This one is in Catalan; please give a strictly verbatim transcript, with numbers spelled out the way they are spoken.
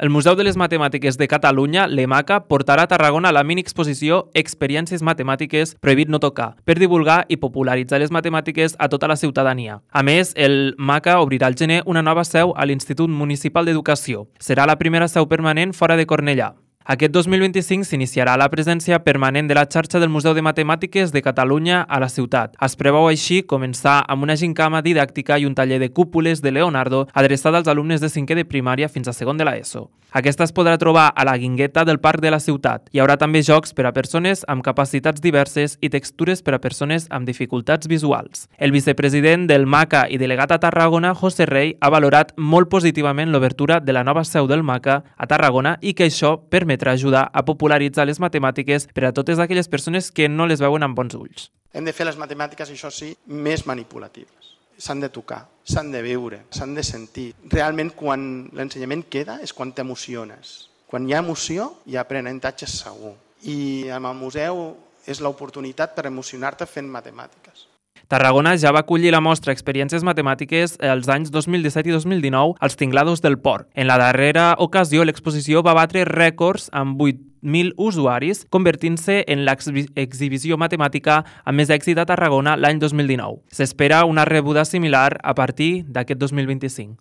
El Museu de les Matemàtiques de Catalunya, l'EMACA, portarà a Tarragona la mini-exposició Experiències Matemàtiques Prohibit no tocar, per divulgar i popularitzar les matemàtiques a tota la ciutadania. A més, el MACA obrirà al gener una nova seu a l'Institut Municipal d'Educació. Serà la primera seu permanent fora de Cornellà. Aquest dos mil vint-i-cinc s'iniciarà la presència permanent de la xarxa del Museu de Matemàtiques de Catalunya a la ciutat. Es preveu així començar amb una gincama didàctica i un taller de cúpules de Leonardo adreçat als alumnes de cinquè de primària fins a segon de l'ESO. Aquesta es podrà trobar a la Guingueta del Parc de la Ciutat. Hi haurà també jocs per a persones amb capacitats diverses i textures per a persones amb dificultats visuals. El vicepresident del MACA i delegat a Tarragona, José Rey, ha valorat molt positivament l'obertura de la nova seu del MACA a Tarragona i que això permetrà ajudar a popularitzar les matemàtiques per a totes aquelles persones que no les veuen amb bons ulls. Hem de fer les matemàtiques, això sí, més manipulatives. S'han de tocar, s'han de veure, s'han de sentir. Realment, quan l'ensenyament queda, és quan t'emociones. Quan hi ha emoció, hi ha aprenentatge segur. I amb el museu és l'oportunitat per emocionar-te fent matemàtiques. Tarragona ja va acollir la mostra Experiències Matemàtiques els anys dos mil disset i dos mil dinou als Tinglados del Port. En la darrera ocasió, l'exposició va batre rècords amb vuit mil usuaris, convertint-se en l'exhibició matemàtica amb més èxit a Tarragona l'any dos mil dinou. S'espera una rebuda similar a partir d'aquest dos mil vint-i-cinc.